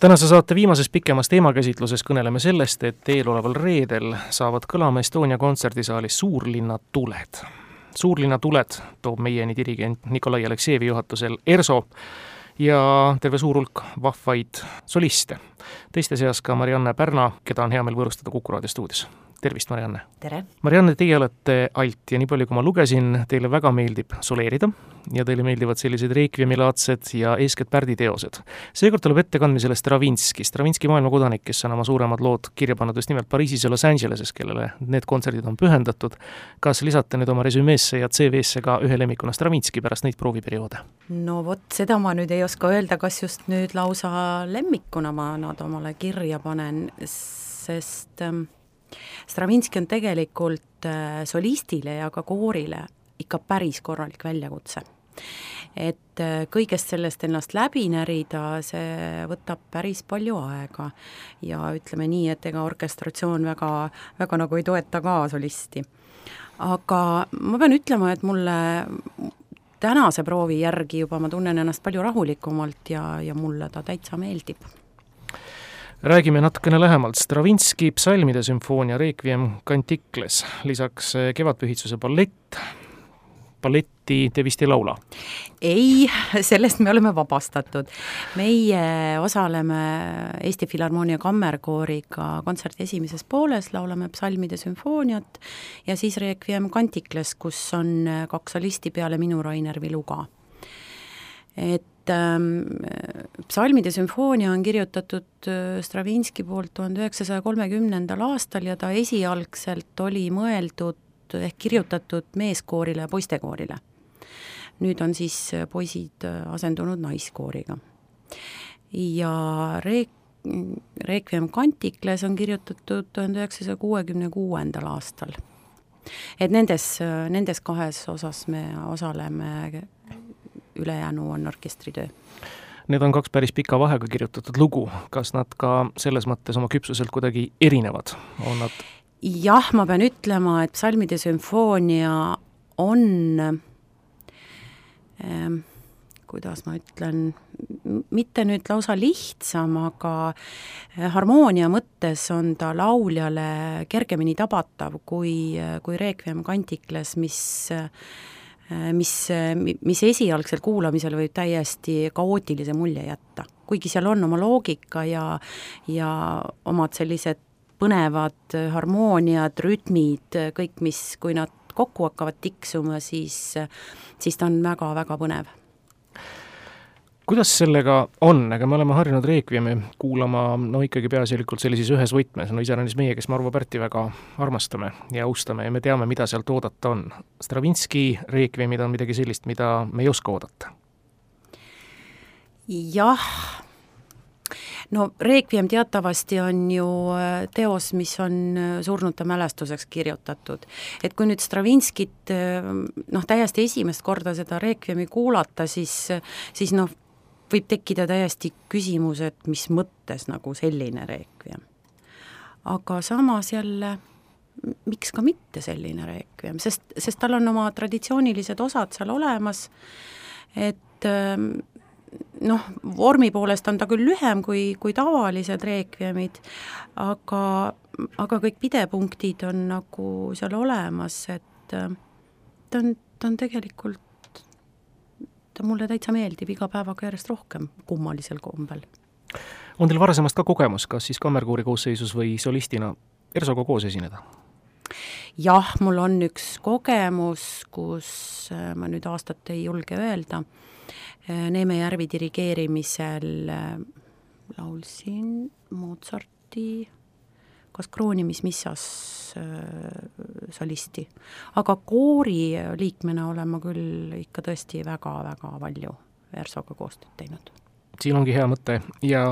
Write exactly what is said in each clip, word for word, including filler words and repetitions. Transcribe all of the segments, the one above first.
Tänase saate viimases pikemas teemakäsitluses kõneleme sellest, et eeloleval reedel saavad kõlama Estonia kontserdisaalis Suurlinna tuled. Suurlinna tuled toob meieni dirigent Nikolai Aleksejevi juhatusel ERSO ja terve suur hulk vahvaid soliste. Teiste seas ka Marianne Pärna, keda on hea meel võõrustada Kuku raadio stuudios. Tervist, Marianne! Tere! Marianne, teie olete alt ja nii palju, kui ma lugesin, teile väga meeldib soleerida ja teile meeldivad sellised reekviemilaadsed ja eeskätt Pärdi teosed. Seekord tuleb ettekandmisele Stravinski, Stravinski maailmakodanik, kes on oma suuremad lood kirja pannud just nimelt Pariisis ja Los Angeleses, kellele need kontserdid on pühendatud. Kas lisate nüüd oma resümeesse ja C V-sse ka ühe lemmikuna Stravinski pärast neid prooviperioode? No vot, seda ma nüüd ei oska öelda, kas just nüüd lausa lemmikuna ma nad omale kirja panen, sest ähm, Stravinski on tegelikult äh, solistile ja ka koorile ikka päris korralik väljakutse. Et äh, kõigest sellest ennast läbi närida, see võtab päris palju aega ja ütleme nii, et ega orkestratsioon väga, väga nagu ei toeta ka solisti. Aga ma pean ütlema, et mulle tänase proovi järgi juba ma tunnen ennast palju rahulikumalt ja, ja mulle ta täitsa meeldib. Räägime natukene lähemalt. Stravinski psalmide sümfoonia Requiem Canticles, lisaks kevadpühitsuse ballett. Balletti te vist ei laula? Ei, sellest me oleme vabastatud. Meie osaleme Eesti Filharmoonia kammerkooriga kontserti esimeses pooles, laulame psalmide sümfooniat ja siis Requiem Canticles, kus on kaks solisti peale minu Rainer Viluga. Et ähm, psalmide sümfoonia on kirjutatud Stravinski poolt tuhande üheksasaja kolmekümnendal aastal ja ta esialgselt oli mõeldud ehk kirjutatud meeskoorile ja poistekoorile. Nüüd on siis poisid asendunud naiskooriga. Ja Re- Requiem Canticles on kirjutatud tuhande üheksasaja kuuekümne kuuendal aastal. Et nendes, nendes kahes osas me osaleme, ülejäänu on orkestritöö. Need on kaks päris pika vahega kirjutatud lugu. Kas nad ka selles mõttes oma küpsuselt kuidagi erinevad? On nad... Jah, ma pean ütlema, et psalmide sümfoonia on, ähm, kuidas ma ütlen, mitte nüüd lausa lihtsam, aga harmoonia mõttes on ta lauljale kergemini tabatav kui, kui Requiem Canticles, mis mis, mis esialgsel kuulamisel võib täiesti kaootilise mulje jätta. Kuigi seal on oma loogika ja, ja omad sellised põnevad harmooniad, rütmid, kõik, mis, kui nad kokku hakkavad tiksuma, siis, siis ta on väga-väga põnev. Kuidas sellega on? Aga me oleme harjunud Requiemi kuulama no ikkagi peaasjalikult sellises ühes võtmes. No iseäranis meie, kes Marvo Pärti väga armastame ja austame ja me teame, mida sealt oodata on. Stravinski Requiemid on midagi sellist, mida me ei oska oodata. Jah. No Requiem teatavasti on ju teos, mis on surnute mälestuseks kirjutatud. Et kui nüüd Stravinskit noh, täiesti esimest korda seda Requiemi kuulata, siis, siis noh, võib tekkida täiesti küsimus, et mis mõttes nagu selline Requiem. Aga samas jälle, miks ka mitte selline Requiem, sest, sest tal on oma traditsioonilised osad seal olemas, et noh, vormi poolest on ta küll lühem kui, kui tavalised Requiemid, aga, aga kõik pidepunktid on nagu seal olemas, et ta on, ta on tegelikult ta mulle täitsa meeldib iga päevaga järjest rohkem kummalisel kombel. On teil varasemast ka kogemus, kas siis kammerkoori koosseisus või solistina ERSOga koos esineda? Jah, mul on üks kogemus, kus ma nüüd aastat ei julge öelda. Neeme Järvi dirigeerimisel laulsin Mozarti kas kroonimismissas solisti. Aga koori liikmena olen ma küll ikka tõesti väga-väga palju ERSOga koostööd teinud. Siin ongi hea mõte ja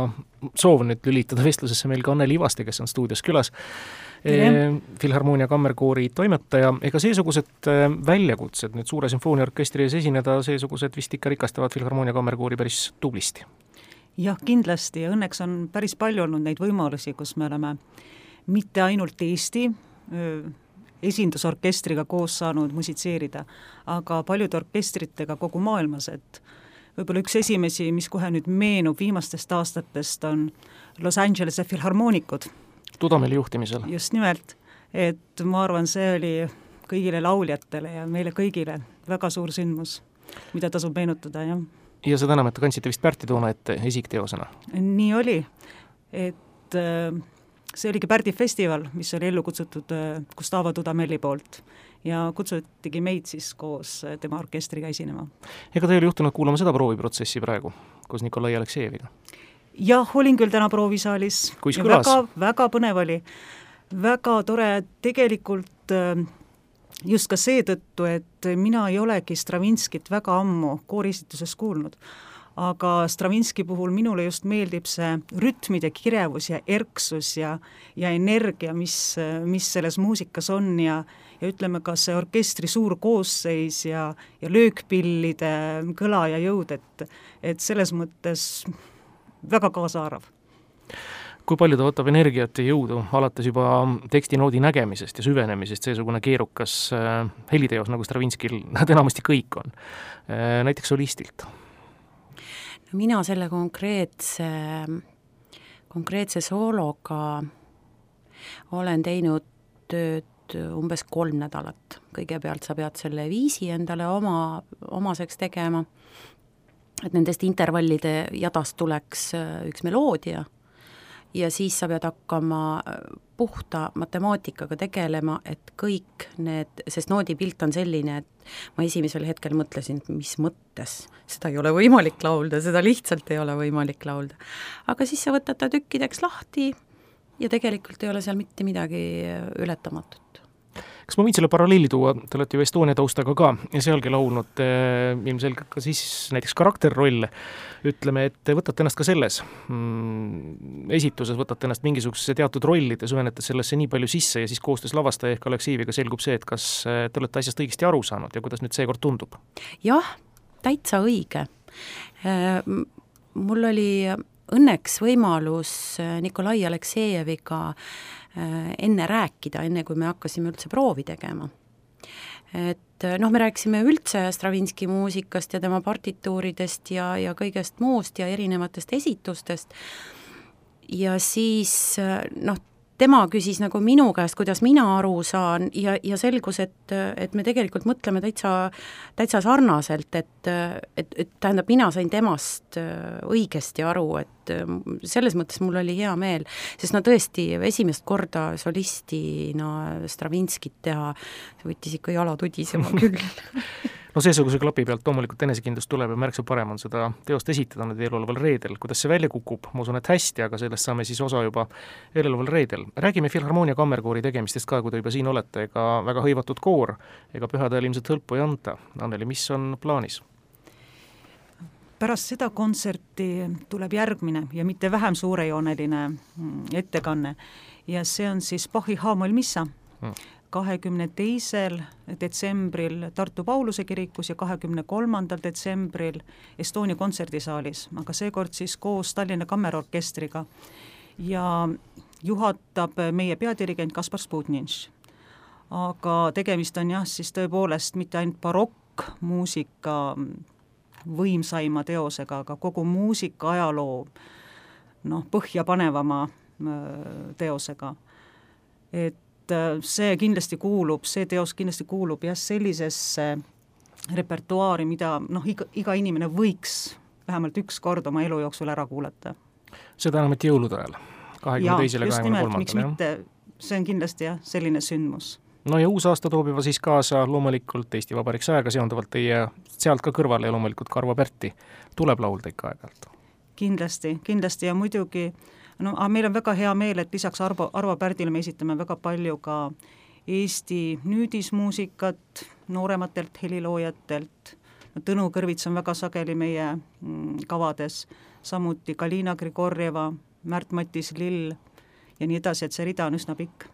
soov nüüd lülitada vestlusesse meil ka Anneli Ivaste, kes on stuudios külas. E, Filharmoonia kammerkoori toimetaja. Ega seesugused väljakutsed nüüd suure sümfooniaorkestri ees esineda, seesugused vist ikka rikastavad Filharmoonia kammerkoori päris tublisti? Jah, kindlasti ja õnneks on päris palju olnud neid võimalusi, kus me oleme mitte ainult Eesti esindusorkestriga koos saanud musitseerida, aga paljude orkestritega kogu maailmas, et võib-olla üks esimesi, mis kohe nüüd meenub viimastest aastatest, on Los Angelese filharmoonikud. Dudameli juhtimisel. Just nimelt, et ma arvan, see oli kõigile lauljatele ja meile kõigile väga suur sündmus, mida tasub meenutada, jah. Ja seda enam, et kandsite vist Pärti toona ette esikteosena? Nii oli, et see oligi Pärdi festival, mis oli ellu kutsutud Gustavo Dudameli poolt ja kutsutigi meid siis koos tema orkestriga esinema. Ega te oli juhtunud kuulama seda prooviprotsessi praegu, koos Nikolai Aleksejeviga? Jah, olin küll täna proovisaalis. Kuis kõlas? Väga, väga põnev oli. Väga tore, tegelikult just ka seetõttu, et mina ei olegi Stravinskit väga ammu koorisituses kuulnud. Aga Stravinski puhul minule just meeldib see rütmide kirevus ja erksus ja, ja energia, mis, mis selles muusikas on ja, ja ütleme ka see orkestri suur koosseis ja, ja löökpillide kõla ja jõud, et, et selles mõttes väga kaasaarv. Kui palju ta võtab energiat ja jõudu alates juba tekstinoodi nägemisest ja süvenemisest, seesugune keerukas heliteos, nagu Stravinskil nad enamasti kõik on, näiteks solistilt? Mina selle konkreetse, konkreetse soologa olen teinud tööd umbes kolm nädalat. Kõigepealt sa pead selle viisi endale oma, omaseks tegema, et nendest intervallide jadast tuleks üks meloodia ja siis sa pead hakkama puhta matemaatikaga tegelema, et kõik need, sest noodipilt on selline, et ma esimesel hetkel mõtlesin, et mis mõttes, seda ei ole võimalik laulda, seda lihtsalt ei ole võimalik laulda. Aga siis sa võtad ta tükkideks lahti ja tegelikult ei ole seal mitte midagi ületamatut. Kas ma võin selle paralleeli tuua, te olete ju Estonia taustaga ka ja sealgi laulnud eh, ilmselgelt ka siis näiteks karakterrolle, ütleme, et võtate ennast ka selles mm, esituses, võtate ennast mingisuguse teatud rollide, süvenete sellesse nii palju sisse ja siis koostöös lavastaja ehk Aleksejeviga selgub see, et kas te olete asjast õigesti aru saanud ja kuidas nüüd seekord tundub? Jah, täitsa õige. Mul oli õnneks võimalus Nikolai Aleksejeviga enne rääkida, enne kui me hakkasime üldse proovi tegema. Et noh, me rääkisime üldse Stravinski muusikast ja tema partituuridest ja, ja kõigest muust ja erinevatest esitustest ja siis noh, tema küsis nagu minu käest, kuidas mina aru saan ja, ja selgus, et, et me tegelikult mõtleme täitsa, täitsa sarnaselt, et, et, et tähendab, mina sain temast õigesti aru, et selles mõttes mul oli hea meel, sest no tõesti esimest korda solistina Stravinskit teha, see võttis ikka jala tudisema küll. No seesuguse klapi pealt loomulikult enesekindlust tuleb ja märksa parem on seda teost esitada nüüd eeloleval reedel. Kuidas see välja kukub? Ma usun, et hästi, aga sellest saame siis osa juba eeloleval reedel. Räägime Filharmonia kammerkoori tegemistest ka, kui te juba siin olete, ega väga hõivatud koor, ega pühadel ilmselt hõlpu ei anta. Anneli, mis on plaanis? Pärast seda kontserti tuleb järgmine ja mitte vähem suurejooneline ettekanne ja see on siis Bachi H-moll missa. Hmm. kahekümne teisel detsembril Tartu Pauluse kirikus ja kahekümne kolmandal detsembril Estonia kontserdisaalis, aga seekord siis koos Tallinna kammerorkestriga ja juhatab meie peadirigent Kaspar Sputnitš. Aga tegemist on jah, siis tõepoolest mitte ainult barokkmuusika võimsaima teosega, aga kogu muusika ajaloo noh, põhjapanevama teosega. Et see kindlasti kuulub, see teos kindlasti kuulub jah sellisesse repertuaari, mida noh, iga, iga inimene võiks vähemalt üks kord oma elu jooksul ära kuulata. Seda enam, et jõulude ajal, kahekümne teisele ja kahekümne kolmandale. Miks mitte, see on kindlasti jah, selline sündmus. No ja uus aasta toob juba siis kaasa loomulikult Eesti Vabariik sajaga seonduvalt teie sealt ka kõrvale ja loomulikult ka Arvo Pärti tuleb laulda ikka aeg-ajalt. Kindlasti, kindlasti ja muidugi no, aga meil on väga hea meel, et lisaks Arvo, Arvo Pärdile me esitame väga palju ka Eesti nüüdismuusikat noorematelt heliloojatelt. No, Tõnu Kõrvits on väga sageli meie mm, kavades, samuti Kalina Grigorjeva, Märt-Mattis Lill ja nii edasi, et see rida on üsna pikk.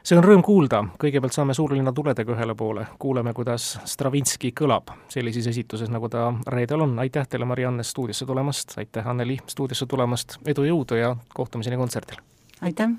See on rõõm kuulda, kõigepealt saame suurlinna tuledega ühele poole, kuuleme, kuidas Stravinski kõlab sellises esituses, nagu ta reedel on. Aitäh teile, Marianne, stuudiosse tulemast, aitäh, Anneli, stuudiosse tulemast, edu, jõudu ja kohtumiseni kontserdil! Aitäh!